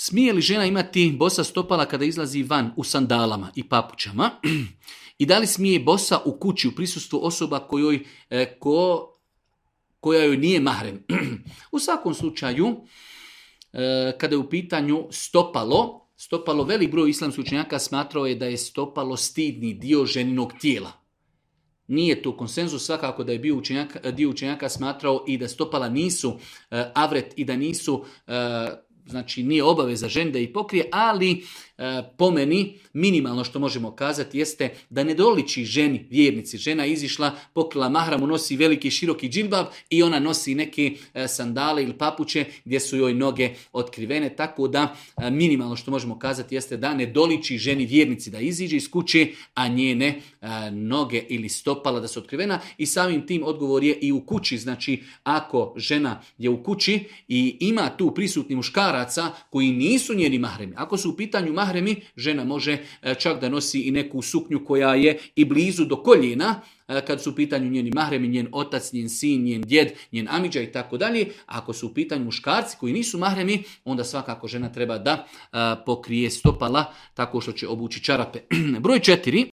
Smije li žena imati bosa stopala kada izlazi van u sandalama i papučama? I da li smije bosa u kući u prisustvu osoba koja joj nije mahrem? U svakom slučaju, kada je u pitanju stopalo, velik broj islamskih učenjaka smatrao je da je stopalo stidni dio ženinog tijela. Nije to konsenzus, svakako da je dio učenjaka smatrao i da stopala nisu avret i da nisu, znači nije obaveza ženi da ih pokrije, ali po meni minimalno što možemo kazati jeste da ne doliči ženi, vjernici. Žena izišla, pokrila mahramu, nosi veliki široki džilbab i ona nosi neke sandale ili papuče gdje su joj noge otkrivene, tako da minimalno što možemo kazati jeste da ne doliči ženi vjernici da iziđe iz kuće, a njene noge ili stopala da su otkrivena, i samim tim odgovor je i u kući. Znači ako žena je u kući i ima tu prisutni muškaraca koji nisu njeni mahremi, ako su u pitanju mahremi, žena može čak da nosi i neku suknju koja je i blizu do koljena, kad su u pitanju njeni mahremi, njen otac, njen sin, njen djed, njen amidža i tako dalje. Ako su u pitanju muškarci koji nisu mahremi, onda svakako žena treba da pokrije stopala tako što će obući čarape. Broj 4.